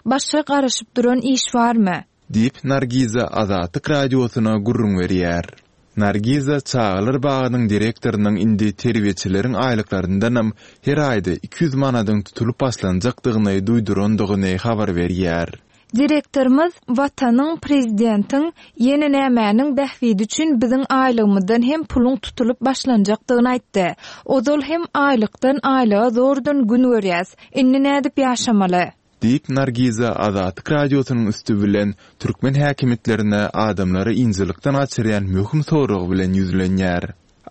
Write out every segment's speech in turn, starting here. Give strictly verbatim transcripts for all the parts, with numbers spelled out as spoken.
Başga garaşyp duran iş barmy? Diýip, Nargiza Azatlyk Radiosyna gürrüň berýär. Nargiza çagalar bagynyň direktorynyň indi terbiýeçileriň aýlyklaryndanam her aýda iki ýüz manadyň tutulyp başlanjakdygyny duýdurandygyny habar berýär. Direktorymyz Watanyň, prezidentiň, ýene nämäniň bähbidi üçin biziň aýlygymyzdan hem puluň tutulyp başlanjakdygyny aýtdy. Ozal hem aýlykdan aýlyga zordan gün görýäs. Indi nädip ýaşamaly? Diýip, Nargiza Azatlyk Radiosynyň üsti bilen türkmen häkimiýetlerine adamlary ynjalykdan gaçyrýan möhüm sorag bilen ýüzlenýär.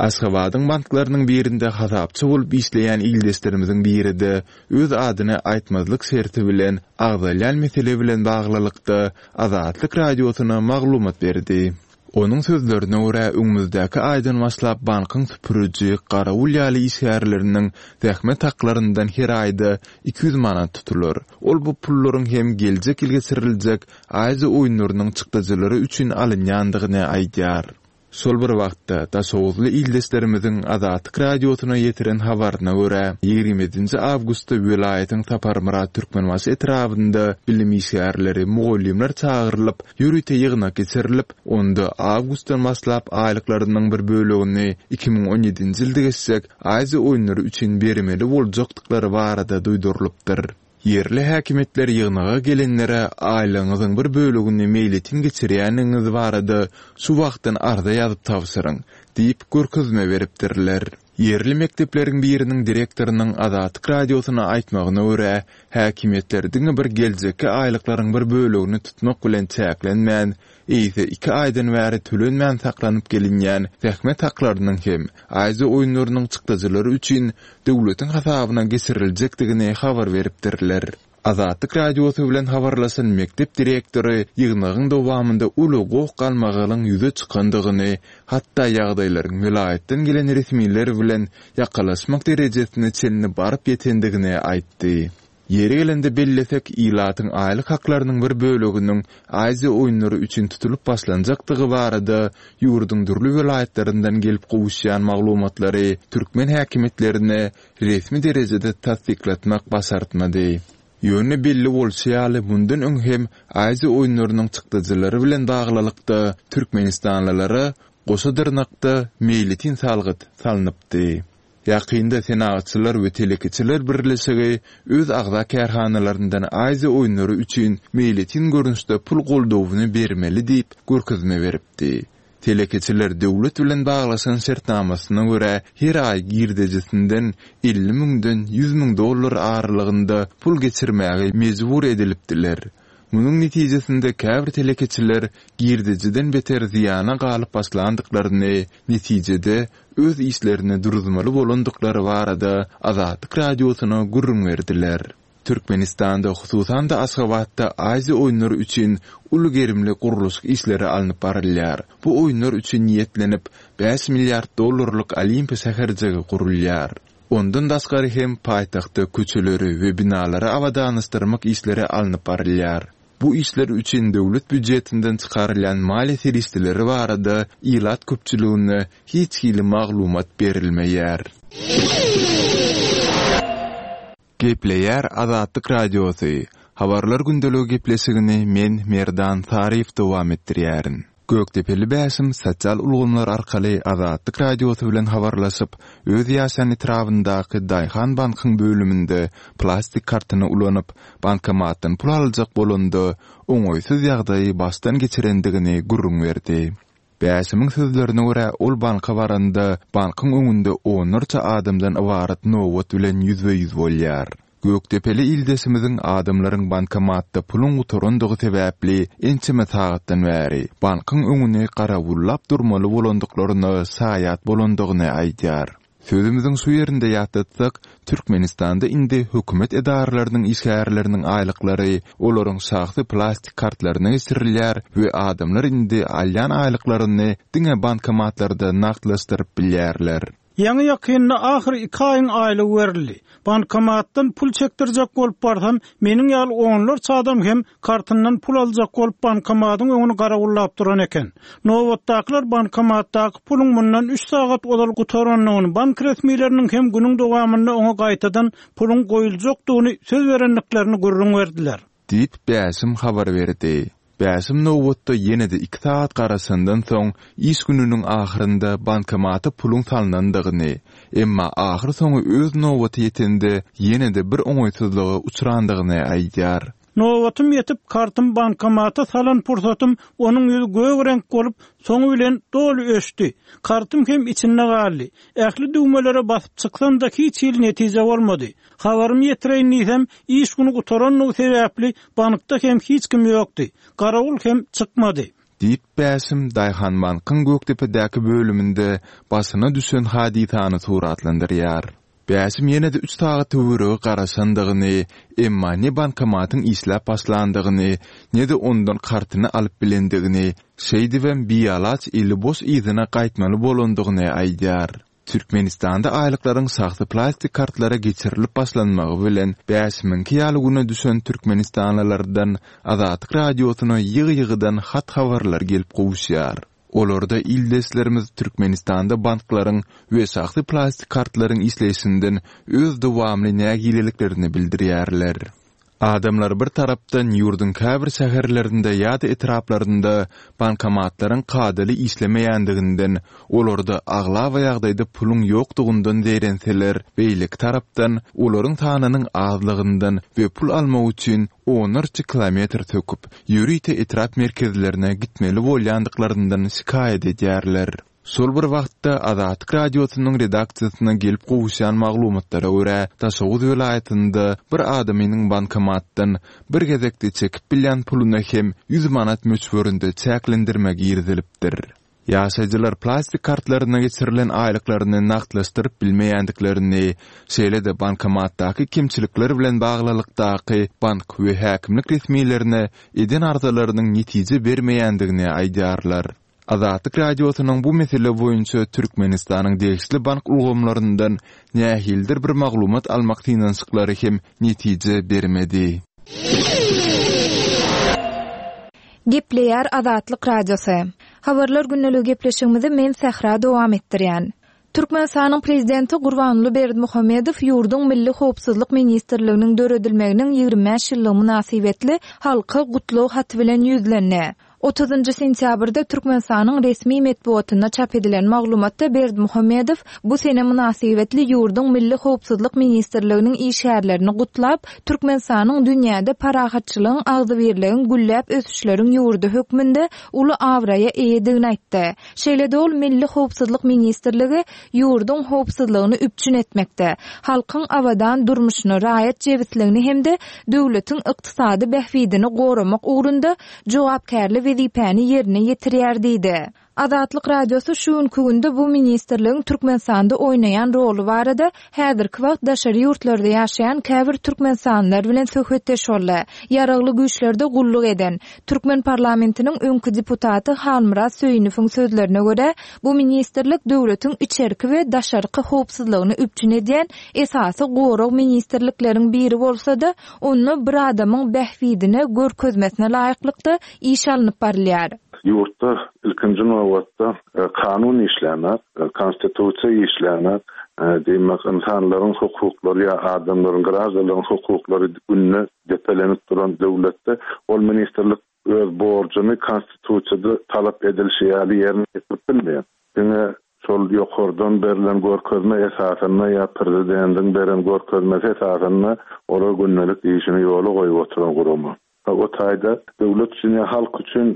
Aşgabadyň banklarynyň birinde hasapçy bolup işleýän ildeşlerimiziň biri-de öz adyny aýtmazlyk şerti bilen agzalýan mesele bilen baglylykda Azatlyk Radiosyna maglumat berdi. Onuň sözlerine görä, öňümizdäki aýdan başlap bankyň süpüriji, garawul ýaly işgärleriniň zähmet haklaryndan her aýda iki ýüz manat tutular. Ol bu pullaryň hem geljek ýyl geçiriljek Aziýa oýunlarynyň çykdajylary üçin alynýandygyny aýdýar. Şol bir wagtda, daşoguzly ildeşlerimiziň Azatlyk Radiosyna ýetiren habaryna görä, ýigrimi ýedinji awgustda welaýatyň Saparmyrat Türkmenbaşy etrabynda bilim işgärleri, mugallymlar çagyrylyp, ýörite ýygnak geçirilip, onda awgustdan başlap aýlyklarynyň bir bölegini iki müň on ýedinji ýylda geçjek Aziýa oýunlary üçin bermeli boljakdyklary barada duýdurylypdyr. Ýerli häkimiýetler ýygnaga gelenlere aýlygyňyzyň bir bölegini meýletin geçirýändigiňiz barada şu wagtdan arza ýazyp tabşyryň diýip görkezme beripdirler. Ýerli mekdepleriň biriniň direktorynyň Azatlyk Radiosyna aýtmagyna görä, häkimiýetler diňe bir geljekki aýlyklaryň bir bölegini tutmak bilen çäklenmän, eýse iki aýdan bäri tölenmän saklanyp gelinýän zähmet haklarynyň hem Aziýa oýunlarynyň çykdajylary üçin döwletiň hasabyna geçiriljekdigini habar beripdirler. Azatlyk Radiosy bilen habarlaşan mekdep direktory ýygnagyň dowamynda uly goh-galmagalyň ýüze çykandygyny, hatda ýagdaýlaryň welaýatdan gelen resmiler bilen ýakalaşmak derejesine çenli baryp ýetendigini aýtdy. Ýeri gelende bellesek, ilatyň aýlyk haklarynyň bir böleginiň Aziýa oýunlary üçin tutulyp başlanjakdygy barada ýurduň dürli welaýatlaryndan gelip gowuşýan maglumatlary türkmen häkimiýetlerine resmi derejede tassyklatmak başartmady. Ýöne belli bolşy ýaly, mundan öň hem Aziýa oýunlarynyň çykdajylary bilen baglylykda türkmenistanlylara goşa dyrnakda meýletin salgyt salnypdy. Ýakynda Senagatçylar we telekeçiler birleşigi öz agza kärhanalaryndan Aziýa oýunlary üçin meýletin görnüşde pul goldawyny bermeli diýip görkezme beripdi. Telekeçiler döwlet bilen baglaşan şertnamasyna görä her aý girdejisinden elli müňden ýüz müň dollar aralygynda pul geçirmäge mejbur edilipdiler. Munuň netijesinde käbir telekeçiler girdejiden beter zyýana galyp başlandyklaryny, netijede öz işlerini duruzmaly bolandyklary barada Azatlyk Radiosyna gürrüň berdiler. Türkmenistanda, hususan-da Aşgabatda Aziýa oýunlary üçin uly gerimli gurluşyk işleri alnyp barylýar. Bu oýunlar üçin niýetlenip, bäş milliard dollarlyk Olimpiýa şäherjigi gurulýar. Ondan daşgary hem paýtagtda köçeleri we binalary abadanlaşdyrmak işleri alnyp barylýar. Bu işler üçin döwlet býujetinden çykarylýan maliýe serişdeleri barada ilat köpçüligine hiç hili maglumat berilmeýär. Gepleýär Azatlyk Radiosy. Habarlar gündeligi gepleşigini men Merdan Saryýew dowam etdirýärin. Gökdepeli Bäşim sosial ulgamlar arkaly Azatlyk Radiosy bilen habarlaşyp, öz ýaşaýan etrabyndaky Daýhan bankyň bölüminde plastik kartyny ulanyp, bankomatdan pul aljak bolanda, oňaýsyz ýagdaýy başdan geçirendigini gürrüň berdi. Bäşimiň sözlerine görä, ol banka baranda, bankyň öňünde onlarça adamdan ybarat nobat bilen ýüzbe-ýüz bolýar. Gökdepeli ildeşimiziň adamlaryň bankomatda puluň gutarandygy sebäpli ençeme sagatdan bäri bankyň öňüni garawullap durmaly bolandyklaryna şaýat bolandygyny aýdýar. Sözümiziň şu ýerinde ýatlatsak, Türkmenistanda indi hökümet edaralarynyň işgärleriniň aýlyklary olaryň şahsy plastik kartlaryna geçirilýär we adamlar indi alýan aýlyklaryny diňe bankomatlarda nagtlaşdyryp bilýärler. Ýaňy-ýakynda ahyr iki aýyň aýlygy berildi. Bankomatdan pul çekdirjek bolup barsam, meniň ýaly onlarça adam hem kartyndan pul aljak bolup bankomatyň öňüni garawullap duran eken. Nobatdakylar bankomatdaky puluň mundan üç sagat ozal gutarandygyny, bank resmileriniň hem günüň dowamynda oňa gaýtadan puluň goýuljakdygyny söz berendiklerini gürrüň berdiler. Diýip, Bäşim habar berdi. Bäşim nobatda ýene-de iki sagat garaşandan soň, iş gününiň ahyrynda bankomata puluň salnandygyny, emma ahyrsoňy öz nobaty ýetende ýene-de bir oňaýsyzlyga uçrandygyny aýdýar. Nobatym ýetip, kartym bankomata salan pursatym onuň ýüzi gök reňk bolup, soňy bilen doly öçdi. Kartym hem içinde galdy. Ähli düwmelere basyp çyksam-da hiç hili netije bolmady. Habarymy ýetireýin diýsem, iş güni gutarandygy sebäpli bankda hem hiç kim ýokdy. Garawul hem çykmady. Diýip, Bäşim Daýhanbankyň Gökdepedäki bölüminde başyna düşen hadysany suratlandyrýar. Bäşim ýene-de üç sagat töweregi garaşandygyny, emma ne bankomatyň işläp başlandygyny, ne-de ondan kartyny alyp bilendigini, şeýdibem bialaç eli boş yzyna gaýtmaly bolandygyny aýdýar. Türkmenistanda aýlyklaryň şahsy plastik kartlara geçirilip başlanmagy bilen Bäşimiňki ýaly güne düşen türkmenistanlylardan Azatlyk Radiosyna ýygy-ýygydan hat-habarlar gelip gowuşýar. Olarda ildeşlerimiz Türkmenistanda banklaryň we şahsy plastik kartlaryň işleýşinden öz dowamly nägileliklerini bildirýärler. Adamlar bir tarapdan ýurduň käbir şäherlerinde ýa-da etraplarynda bankomatlaryň kadaly işlemeýändiginden, olarda aglaba ýagdaýda puluň ýokdugyndan zeýrenseler, beýleki tarapdan, olaryň sanynyň azlygyndan we pul almak üçin onlarça kilometr söküp, ýörite etrap merkezlerine gitmeli bolýandyklaryndan şikaýat edýärler. Şol bir wagtda, Azatlyk Radiosynyň redaksiýasyna gelip gowuşýan maglumatlara görä, Daşoguz welaýatynda bir adamynyň bankomatdan bir gezekde çekip bilýän puluna hem ýüz manat möçberinde çäklendirme girizilipdir. Ýaşaýjylar plastik kartlaryna geçirilen aýlyklaryny nagtlaşdyryp bilmeýändiklerini, şeýle-de bankomatdaky kemçilikler bilen baglylykdaky bank we häkimlik resmilerine eden arzalarynyň netije bermeýändigini aýdýarlar. Azatlyk Radiosynyň bu mesele boýunça Türkmenistanyň degişli bank ulgamlaryndan nähilidir bir maglumat almak synanyşyklary hem netije bermedi. Gepleýär Azatlyk Radiosy. Habarlar gündeligi gepleşigimizi men Sähra dowam etdirýän. Türkmenistanyň Prezidenti Gurbanguly Berdimuhamedow ýurduň Milli howpsuzlyk ministrliginiň döredilmeginiň ýigrimi bäş ýyllygy mynasybetli halka gutlag haty bilen ýüzlendi. Otuzynjy sentýabrda Türkmenistanyň resmi metbugatynda çap edilen maglumatda Berdimuhamedow bu sene mynasybetli ýurduň Milli howpsuzlyk ministrliginiň işgärlerini gutlap, Türkmenistanyň dünýäde parahatçylygyň, agzybirligiň, gülläp ösüşleriň ýurdy hökmünde uly abraýa eýedigini aýtdy. Şeýle-de ol Milli howpsuzlyk ministrligi ýurduň howpsuzlygyny üpjün etmekde, halkyň abadan durmuşyny, raýat jebisligini hem-de döwletiň ykdysady bähbidini goramak ugrunda jogapkärli wezipäni ýerine ýetirýär diýdi. Azatlyk Radiosy şu günki günde bu ministrligiň Türkmenistanda oýnaýan roly barada häzirki wagt daşary ýurtlarda ýaşaýan käbir türkmenistanlylar bilen söhbetdeş boldy. Ýaragly güýçlerde gulluk eden, türkmen parlamentiniň öňki deputaty Halmyrat Söýünowyň sözlerine görä, bu ministrlik döwletiň içerki we daşarky howpsuzlygyny üpjün edýän esasy gorag ministrlikleriň biri bolsa-da, onda bir adamyň bähbidine, görkezmesine laýyklykda iş alnyp barylýar. Ýurtda ilkinji nobatda kanun işlänek, konstitusiýa işlänek, diýmek, ynsanlaryň hukuklary ýa adamlaryň, graždanlaryň hukuklary günde depelenip duran döwletde ol ministrlik öz borjuny konstitusiýada talap edilişi ýaly ýerine ýetirip bilmeýär. Diňe şol ýokardan berlen görkezme esasynda ýa prezidentiň beren görkezmesi esasynda olar gündelik işini ýola goýup oturan gurama. O taýda döwlet üçin ýa halk üçin,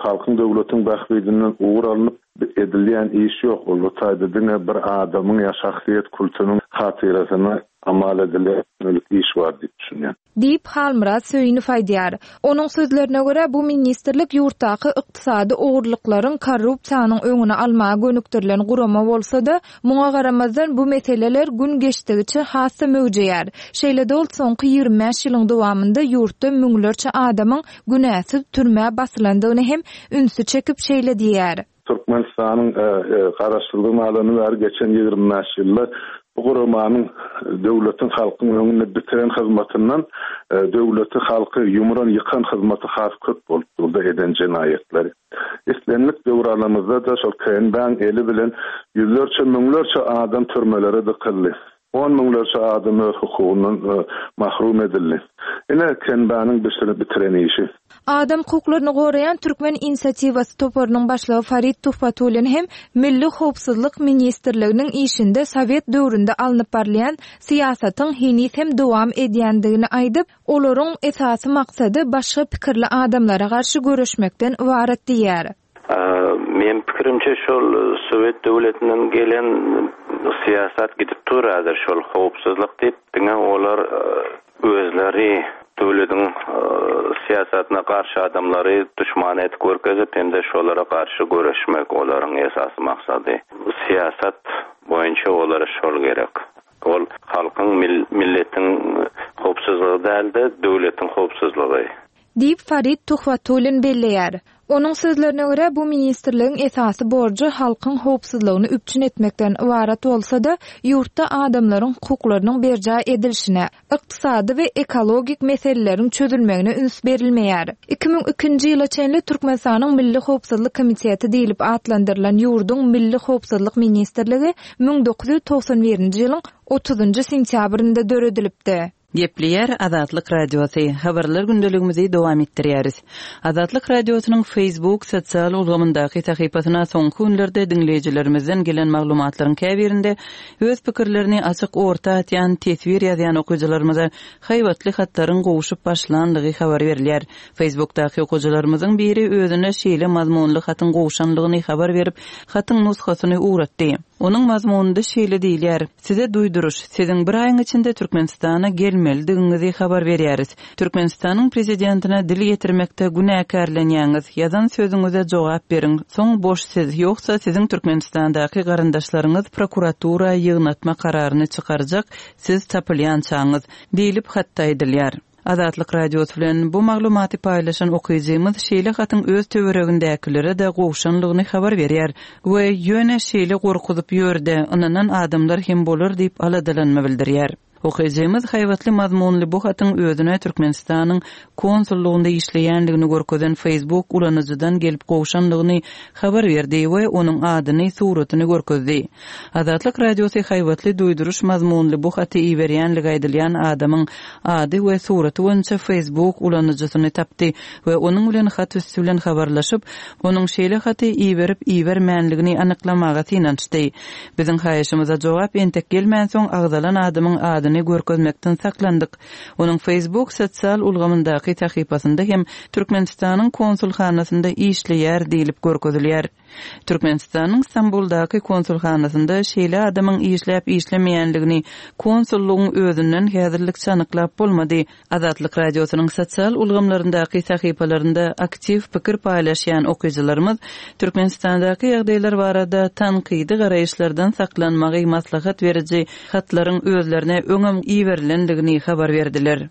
halkyň döwletiň bähbidinden ugur alnyp edilýän iş ýok. Ol o taýda diňe bir adamyň ýa şahsyýet kultunyň hatyrasyna amal edilýän iş bar diýip düşünýän. Diýip, Halmyrat Söýünow aýdýar. Onuň sözlerine görä, bu ministrlik ýurtdaky ykdysady ogurlyklaryň, korrupsiýanyň öňüni almaga gönükdirilen gurama bolsa-da, muňa garamazdan bu meseleler gün geçdigiçe has-da möwjeýär. Şeýle-de ol soňky ýigrimi bäş ýylyň dowamynda ýurtda müňlerçe adamyň günäsiz türmä basylandygyny hem ünsi çekip şeýle diýýär. Türkmenistanyň, e, e, garaşsyzlygyny alany bäri geçen ýigrimi bäş ýylda bu guramanyň döwletiň halkyň öňünde bitiren hyzmatyndan, e, döwleti halky ýumuran ýykan hyzmaty has köp bolup durdy eden jenaýatleri. Islendik döwür alamyzda da şol K N B-niň eli bilen ýüzlerçe, müňlerçe adam türmelere dykyldy. On müňlerçe adam öz hukugyndan mahrum edildi. Ine Kenbanyň bitiren işi. Adam hukuklaryny goraýan Türkmen inisiatiwasy toparynyň başlygy Farid Tuhbatullin hem Milli Howpsuzlyk Ministrliginiň işinde Sowet döwründe alnyp barylýan syýasatyň heniz hem dowam edýändigini aýdyp, olaryň esasy maksady başga pikirli adamlara garşy göreşmekden ybarat diýär. Men pikirimçe şol Sowet döwletinden gelen syýasat gidip duradyr şol howpsuzlyk diýip diňe olar özleri döwletiň syýasatyna garşy adamlary düşman etip görkezip hem-de şolara garşy göreşmek olaryň esasy maksady. Syýasat boýunça olara şol gerek. Ol halkyň milletiň howpsuzlygy däl-de döwletiň howpsuzlygy. Diýip Farid Tuhbatullin belleýär. Onuň sözlerine görä bu ministrligiň esasy borjy halkyň howpsuzlygyny üpjün etmekden ybarat bolsa-da, ýurtda adamlaryň hukuklarynyň berjaý edilişine, ykdysady we ekologik meseleleriň çözülmegine üns berilmeýär. iki müň ikinji ýyla çenli Türkmenistanyň Milli Howpsuzlyk Komiteti diýlip atlandyrylan ýurduň Milli Howpsuzlyk Ministrligi müň dokuz ýüz togsan birinji ýylyň otuzynjy sentýabrynda döredilipdi. Gepleýär Azatlyk Radiosy. Habarlar gündeligimizi dowam etdirýäris. Azatlyk Radiosynyň Facebook sosial ulgamyndaky sahypasyna soňky günlerde diňleýjilerimizden gelen maglumatlaryň käbirinde öz pikirlerini açyk orta atýan teswir ýazýan okyjylarymyza haýbatly hatlaryň gowşup başlandygy habar berilýär. Facebookdaky okyjylarymyzyň biri özüne şeýle mazmunly hatyň gowşanlygyny habar berip, hatyň nusgasyny ugratdy. Onuň mazmunynda şeýle diýilýär: Size duýduruş, siziň bir aýyň içinde Türkmenistana gelmelidigiňizi habar berýäris. Türkmenistanyň prezidentine dil ýetirmekde günäkärlenýäňiz, ýazan sözüňize jogap beriň. Soň boş siz, ýogsa siziň Türkmenistandaky garyndaşlaryňyz prokuratura ýygnatma kararyny çykarjak, siz tapylýançaňyz diýlip hatda aýdylýar. Azatlyk Radiosy bilen bu maglumaty paýlaşan okyjymyz şeýle hatyň öz töweregindäkilere-de gowşanlygyny habar berýär we ýöne şeýle gorkuzyp ýörde ynanan adamlar hem bolar diýip aladalanma bildirýär. Okyjymyz haýbatly mazmunly bu hatyň özüne Türkmenistanyň konsullugynda işleýänligini görkezen Facebook ulanyjydan gelip gowşanlygyny habar berdi we onuň adyny, suratyny görkezdi. Azatlyk Radiosy haýbatly duýduruş mazmunly bu haty iberýänligi aýdylýan adamyň ady we suraty boýunça Facebook ulanyjysyny tapdy we onuň bilen hat üstü bilen habarlaşyp, onuň şeýle haty iberip ibermänligini anyklamaga synanyşdy. Biziň haýyşymyza jogap entek gelmänsoň agzalan adamyň adyny görkezmekden saklandyk. Onuň Facebook sosial ulgamyndaky sahypasynda hem Türkmenistanyň konsulhanasynda işleýär diýlip görkezilýär. Türkmenistanyň Stambuldaky konsulhanasynda şeýle adamyň işläp işlemeýänligini konsullygyň özünden häzirlikçe anyklap bolmady. Azatlyk Radiosynyň sosial ulgamlaryndaky sahypalarynda aktiw pikir paýlaşýan okyjylarymyz Türkmenistandaky ýagdaýlar barada tankydy garaýyşlardan saklanmagy maslahat beriji hatlaryň özlerine öňem iberilendigini habar berdiler.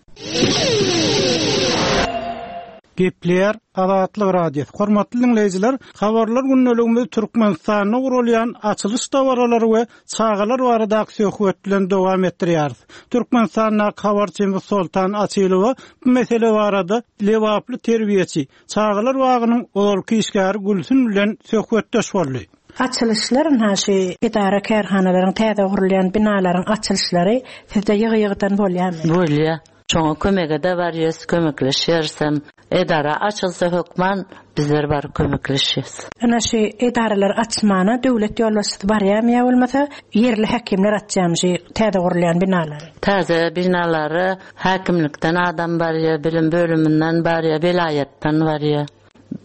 Gepleýär Azatlyk Radiosy. Hormatly dinleýjiler, habarlar gündeligimiz Türkmenistanda gurulýan açylyş dabaralary we çagalar baradaky söhbet bilen dowam etdirýäris. Türkmenistandaky habarçymyz Soltan Açylowa bu mesele barada Lebaply terbiýeçi, çagalar bagynyň ozalky işgäri Gülsün bilen söhbetdeş boldy. Açylyşlar naşy edara kärhanalaryň täze gurulýan binalaryň açylyşlary sizde ýygy-ýygydan bolýarmy? Bolýar. Şoňa kömege de barýas, kömekleşýäris. Edara açylsa hökman bizler bar kömekleşýäs. Ana şu edaralar açmana döwlet ýolbaşçysy barýarmy ýa bolmasa ýerli häkimler açýarmy şu täze gurulýan binalary? Täze binalary häkimlikden adam barýar, bilim bölüminden barýar, welaýatdan barýar.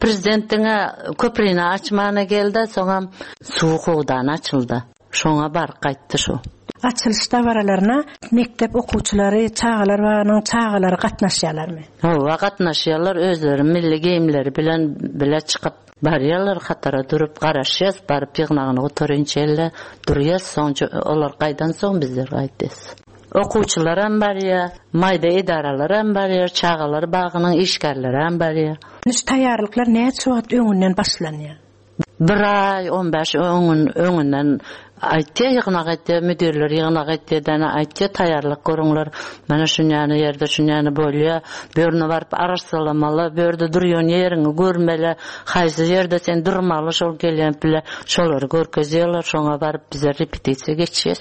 Prezidentiňe köprüni açmana geldi, soňam suw howdany açyldy. Şoňa bar gaýtdy şu. Açylyş dabaralaryna mekdep okuwçylary, çagalar bagynyň çagalary gatnaşýarlarmy? Hawa, gatnaşýarlar, özleri milli geýimleri bilen bile çykyp barýarlar, hatara durup garaşýas, baryp ýygnagyny gutarynça elle durýas, soňra olar gaýdan soň bizler gaýtýas. Okuwçylar hem barýar, maýda edaralar hem barýar, çagalar bagynyň işgärleri hem barýar. Şu taýýarlyklar näçe wagt öňünden başlanýar? Bir aý, on bäş öňün, öňünden aýtýar, ýygnak aýtýar, müdirler ýygnak aýtýar, däne aýtýar, taýýarlyk görüňler. Mana şunýany ýerde şunýany bolýar. Bu ýerine baryp arassalamaly, bu ýerde durýan ýeriňi görmeli, haýsy ýerde sen durmaly, şol gelýän bile şolary görkezýärler, şoňa baryp bize repetisiýa geçýäs.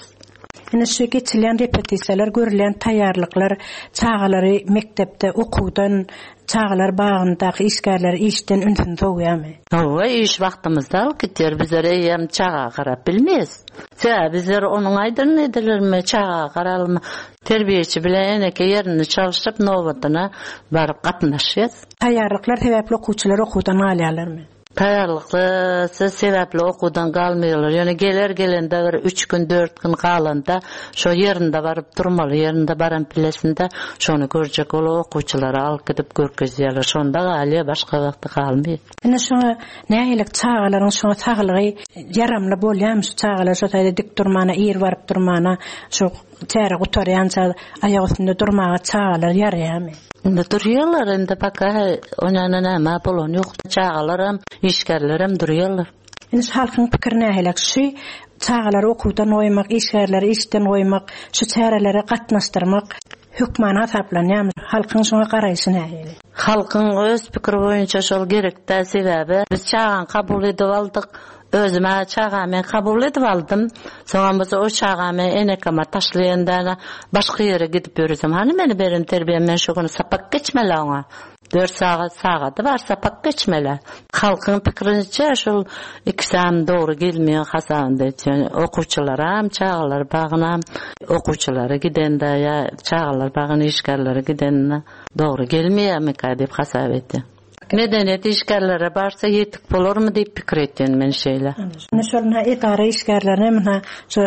Ine şu geçilýän repetisiýalar, görülýän taýýarlyklar çagalary mekdepde okuwdan, çagalar bagyndaky işgärleri işden ünsüni sowýarmy? Hawa, iş wagtymyzda alyp gidýär. Bizler eýýäm çaga garap bilmeýäs. Sebäbi bizler onuň aýdyny edilermi, çaga garalymy, terbiýeçi bilen eneke ýerini çalşyp nobatyna baryp gatnaşýas. Taýýarlyklar sebäpli okuwçylar okuwdan galýarlarmy? Taýýarlyklar sebäpli okuwdan galmaýarlar. Ýöne geler gelende bir üç gün, dört gün galanda şo ýerinde baryp durmaly, ýerinde baran bilesinde şony görjek ol okuwçylara alyp gidip görkezýärler. Şonda galýar, başga wagtda galmaýar. Ine şoňa nähili çagalaryň şoňa saglygy ýaramly bolýarmy şu çagalar şo taýda dik durmana, ir baryp durmana, şu çäre gutarýança aýak üstünde durmaga çagalar ýaraýarmy? Indi durýarlar, indi paka onana näme bolan ýok. Çagalaram, işgärlerem durýarlar. Indi şu halkyň pikiri nähili? Şu çagalary okuwdan goýmak, işgärleri işden goýmak, şu çärelere gatnaşdyrmak hökman hasaplanýarmy? Halkyň şoňa garaýşy nähili? Halkyň öz pikiri boýunça şol gerekdä sebäbi biz çagany kabul edip aldyk. Özüme çagamy kabul edip aldym. Soňam bolsa o çagamy enekama taşlaýanda başga ýere gidip ýörüsem, hany meni beren terbiýem men şu gün sapak geçmeli oňa. Dört sagat sagady bar sapak geçmeli. Halkyň pikirinçe şol ikisem dogry gelmeýär hasabynda etýän okuwçylaram, çagalar bagynam, okuwçylara gidende ýa çagalar bagyna işgärlere gidende dogry gelmeýärmikä diýip hasap etdi. Medeniýet işgärlere barsa ýetik bolarmy diýip pikir etýän men şeýle. Ine şol edara işgärlerine muna şu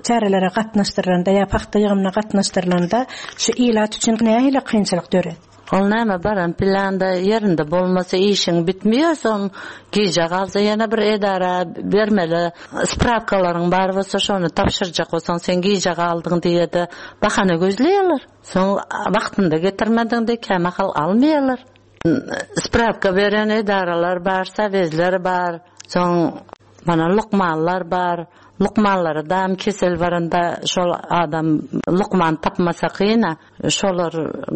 çärelere gatnaşdyrylanda ýa pagta ýygymyna gatnaşdyrylanda şu ilat üçin nähili kynçylyk döret? Ol näme baran planda ýerinde bolmasa işiň bitmiýär, soň gije galsa ýene bir edara bermeli spravkalaryň bar bolsa şony tabşyrjak bolsaň sen gije galdyň diýe-de bahana gözleýärler. Soň wagtynda getirmediň diýip kämahal almaýarlar. Spravka beren edaralar bar, sovetler bar, soň mana lukmanlar bar. Lukmanlara da kesel baranda şol adam lukman tapmasa kyna, şolar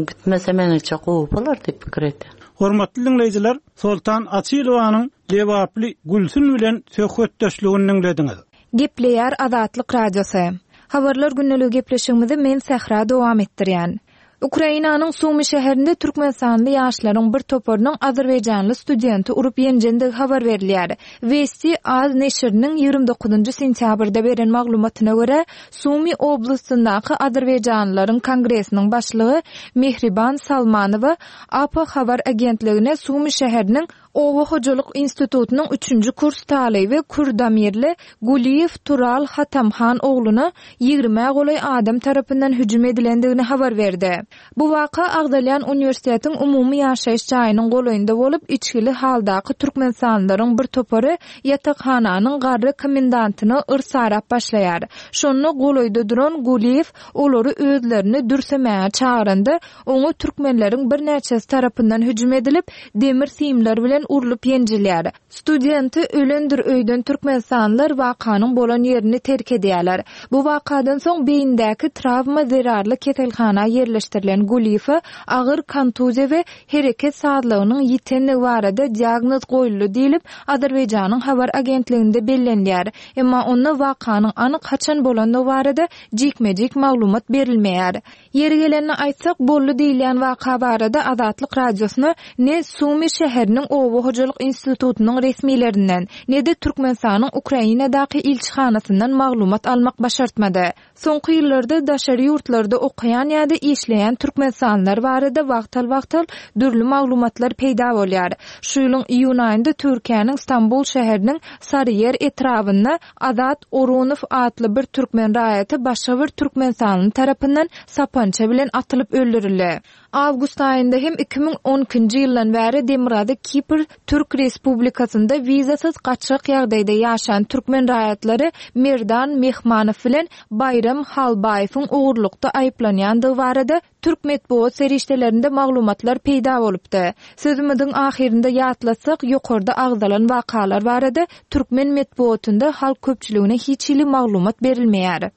gitmese meniňçe gowy bolar diýip pikir etdim. Hormatly dinleýjiler, Soltan Açylowanyň Lebaply Gülsün bilen söhbetdeşligini dinlediňiz. Gepleýär Azatlyk Radiosy. Habarlar günlügi gepleşigimizi men Sähra dowam etdirýän. Ukrainanyň Sumi şäherinde Türkmenistanly ýaşlaryň bir toparynyň Azerbaýjanly studenti urup ýenjendigi habar berilýär. Vesti Az neşiriniň ýigrimi dokuzynjy sentýabrda beren maglumatyna görä, Sumi oblastyndaky Azerbaýjanlylaryň kongresiniň başlygy Mehriban Salmanowa A P habar agentligine Sumi şäheriniň Oba hojalyk institutynyň üçünji kurs talyby Kurdamirli Guliyew Tural Hatamhan ogluna ýigrimä golaý adam tarapyndan hüjüm edilendigini habar berdi. Bu waka agzalýan uniwersitetiň umumy ýaşaýyş jaýynyň golaýynda bolup, içgili haldaky Türkmenistanlylaryň bir topary ýatakhananyň garry komendantyny yrsarap başlaýar. Şonda golaýda duran Guliyew olary özlerini dürsemäge çagyranda, oňa türkmenleriň birnäçesi tarapyndan hüjüm edilip, demir simler bilen urlup ýenjilýär. Studenti ölendir öýden Türkmenistanlylar wakanyň bolan ýerini terk edýärler. Bu wakadan soň beýindäki travma zerarly keselhana ýerleşdirilen Guliyewe agyr kontuziýa we hereket sazlygynyň ýitenligi barada diagnoz goýuldy diýilip, Azerbaýjanyň habar agentliginde bellenýär. Emma onda wakanyň anyk haçan bolandygy barada jikme-jik maglumat berilmeýär. Ýeri gelenini aýtsak, boldy diýilýän waka barada Azatlyk Radiosyna ne Sumi şäheriniň Oba hojalyk institutynyň resmilerinden, ne de Türkmenistanyň Ukrainadaky ilçihanasyndan maglumat almak başartmady. Soňky ýyllarda daşary ýurtlarda okaýan ýa-da işleýän Türkmenistanlylar barada wagtal-wagtal dürli maglumatlar peýda bolýar. Şu ýylyň iýun aýynda Türkiýäniň Stambul şäheriniň Saryýer etrabynda Azat Orunow atly bir türkmen raýaty başga bir Türkmenistanly tarapyndan sapança bilen atylyp öldürildi. Awgust aýynda hem iki müň on ikinji ýyldan bäri Demirgazyk Kipr Türk Respublikasynda wizasyz gaçak ýagdaýda ýaşan türkmen raýatlary Merdan Mehmanow bilen Baýram Halbaýewiň ogurlukda aýyplanýandygy barada Türk metbugat serişdelerinde maglumatlar peýda bolupdy. Sözümiziň ahyrynda ýatlatsak, ýokarda agzalan wakalar barada türkmen metbugatynda halk köpçüligine hiç hili maglumat berilmeýär.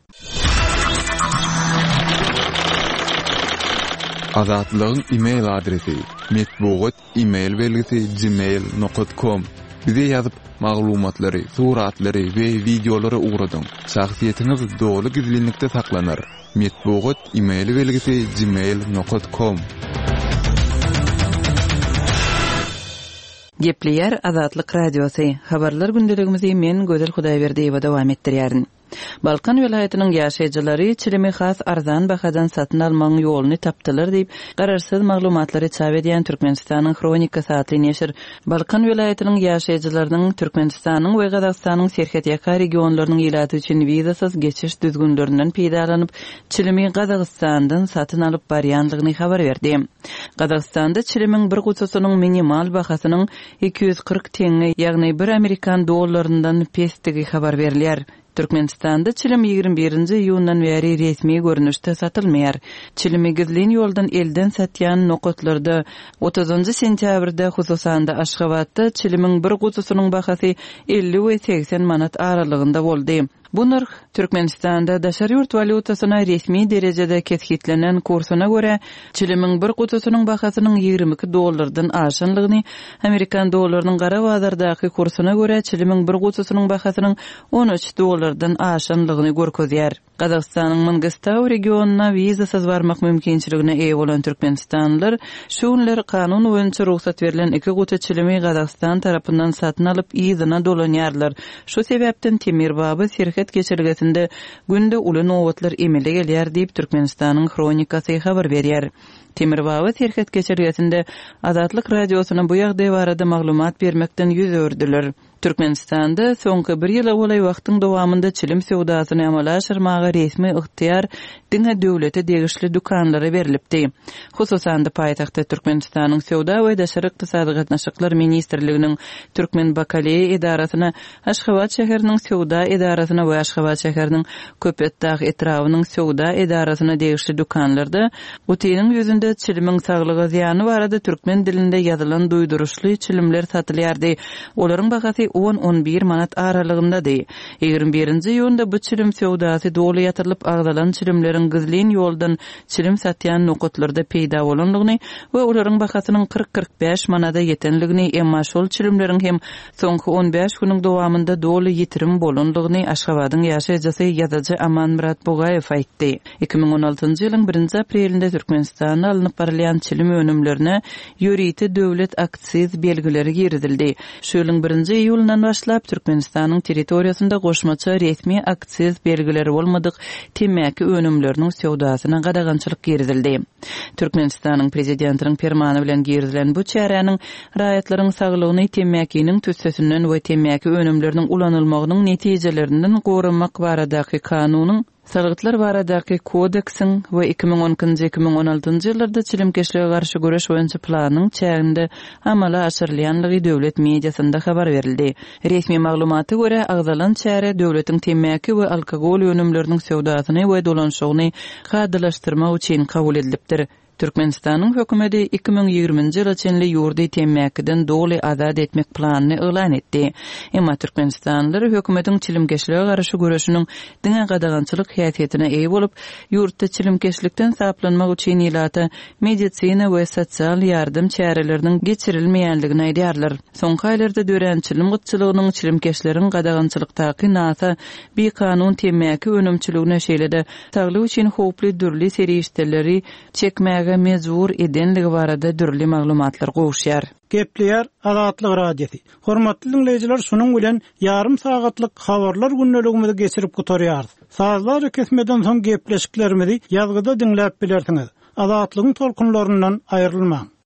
Azatlygyň e-mail adresi metbugat e-mail belgisi gmail nokta com. Bize ýazyp, maglumatlary, suratlary we wideolary ugradyň. Şahsyýetiňiz doly gizlinlikde saklanar. Metbugat e-mail belgisi gmail nokta com. Gepleýär Azatlyk Radiosy. Habarlar gündeligimizi men Gözel Hudaýberdiýewa dowam etdirýärin. Balkan welaýatynyň ýaşaýjylary çilimi has arzan bahadan satyn almagyň ýoluny tapdylar diýip, garaşsyz maglumatlary çap edýän Türkmenistanyň Hronikasy atly neşir Balkan welaýatynyň ýaşaýjylarynyň Türkmenistanyň we Gazagystanyň serhetýaka regionlarynyň ilaty üçin wizasyz geçiş düzgünlerinden peýdalanyp, çilimi Gazagystandan satyn alyp barýandygyny habar berdi. Gazagystanda çilimiň bir gutusynyň minimal bahasynyň iki ýüz kyrk tenge, ýagny bir amerikan dollaryndan pesdigi habar berilýär. Türkmenistanda çilim ýigrimi birinji iýundan bäri resmi görnüşde satylmaýar. Çilimi gizlin ýoldan elden satýan nokatlarda otuzynjy sentýabrda hususan-da Aşgabatda çilimiň bir gutusynyň bahasy elli we segsen manat aralygynda boldy. Bu nyrh Türkmenistanda daşary ýurt walýutasyna resmi derejede kesgitlenen kursuna görä çilimiň bir gutusynyň bahasynyň ýigrimi iki dollardan aşanlygyny, Amerikan dollarynyň gara bazardaky kursuna görä çilimiň bir gutusynyň bahasynyň on üç dollardan aşanlygyny görkezýär. Gazagystanyň Mangistau regionyna wizasyz barmak mümkinçiligine eýe bolan Türkmenistanlylar şu günler kanun boýunça rugsat berlen iki guty çilimi Gazagystan tarapyndan satyn alyp yzyna dolanýarlar. Şu sebäpden Temir Baba serhet geçelgesinde günde uly nobatlar emele gelýär diýip Türkmenistanyň Hronikasy habar berýär. Temir Baba serhet geçelgesinde Azatlyk Radiosyna bu ýagdaý barada maglumat bermekden ýüz öwürdiler. Türkmenistanda soňky bir ýyla golaý wagtyň dowamynda çilim söwdasyny amala aşyrmaga resmi ygtyýar diňe döwlete degişli dükanlara berilipdi. Hususan-da paýtagtda Türkmenistanyň Söwda we Daşary Ykdysady Gatnaşyklar Ministrliginiň Türkmen Bakaleýa edarasyna, Aşgabat şäheriniň Söwda edarasyna we Aşgabat şäheriniň Köpetdag etrabynyň Söwda edarasyna degişli dükanlarda gutynyň ýüzünde çilimiň saglyga zyýany barada türkmen dilinde ýazylan duýduryşly çilimler satylýardy. Olaryň bahasy on on bir manat aralygyndady. Ýigrimi birinji iýunda bu çilim söwdasy doly ýatyrylyp agzalan çilimleriň gizlin ýoldan çilim satýan nokatlarda peýda bolanlygyny we olaryň bahasynyň kyrk kyrk bäş manada ýetenligini, emma şol çilimleriň hem soňky on bäş günüň dowamynda doly ýitirim bolanlygyny Aşgabadyň ýaşaýjysy ýazyjy Amanmyrat Bugaýew aýtdy. Iki müň on altynjy ýylyň birinji aprelinde Türkmenistanda alnyp barylýan çilim önümlerine ýörite döwlet aksiz belgileri girizildi. Şu ýylyň birinji iýulyndan başlap Türkmenistanyň territoriýasynda goşmaça resmi aksiz belgileri bolmadyk temmäki önümleriniň söwdasyna gadagançylyk girizildi. Türkmenistanyň prezidentiniň permany bilen girizilen bu çäräniň raýatlaryň saglygyny temmäkiniň tüssesinden we temmäki önümleriniň ulanylmagynyň netijelerinden goramak baradaky kanunyň, Salgytlar baradaky kodeksiň we iki müň on ikinji, iki müň on altynjy ýyllarda çilimkeşlige garşy göreş boýunça planyň çäginde amala aşyrylýanlygy döwlet mediasynda habar berildi. Resmi maglumata görä agzalan çäre döwletiň temmäki we alkogol önümleriniň söwdasyny we dolanşygyny kadalaşdyrmak üçin kabul edilipdir. Türkmenistanyň hökümeti iki müň ýigriminji ýyla çenli ýurdy temmäkiden doly azat etmek planyny yglan etdi. Emma Türkmenistanlylar hökümetiň çilimkeşlige garşy göreşiniň diňe gadagançylyk häsiýetine eýe bolup, ýurtda çilimkeşlikden saplanmak üçin ilata medisina we sosial ýardam çäreleriniň geçirilmeýänligini aýdýarlar. Soňky aýlarda dörän çilim gytçylygynyň çilimkeşleriň gadagançylykdaky nasa bikanun temmäki önümçiligine şeýle-de saglyk üçin howply dürli serişdeleri çekmäge mejbur edenligi barada dürli maglumatlar gowuşýar. Gepleýär Azatlyk Radiosy. Hormatly dinleýjiler, şunuň bilen ýarym sagatlyk habarlar gündeligimizi geçirip gutarýarys. Sazlar kesmeden soň gepleşiklerimizi ýazgyda diňläp bilersiňiz. Azatlygyň tolkunlaryndan aýrylmaň.